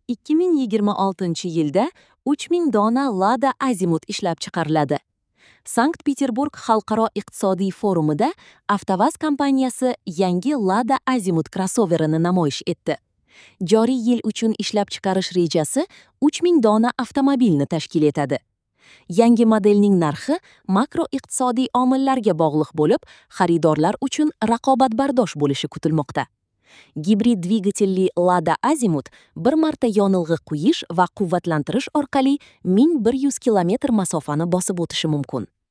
2026-yilda 3000 dona Lada Azimut ishlab chiqariladi. Sankt-Peterburg xalqaro iqtisodiy forumida AvtoVAZ kompaniyasi yangi Lada Azimut krossoverini namoyish etdi. Joriy yil uchun ishlab chiqarish rejasi 3000 dona avtomobilni tashkil etadi. Yangi modelning narxi makroiqtisodiy omillarga bog'liq bo'lib, xaridorlar uchun raqobatbardosh bo'lishi kutilmoqda. Gibrid dvigatelli Lada Azimut bir marta yonilg'i quyish va quvvatlantirish orqali 1100 kilometr masofani bosib o'tishi mumkin.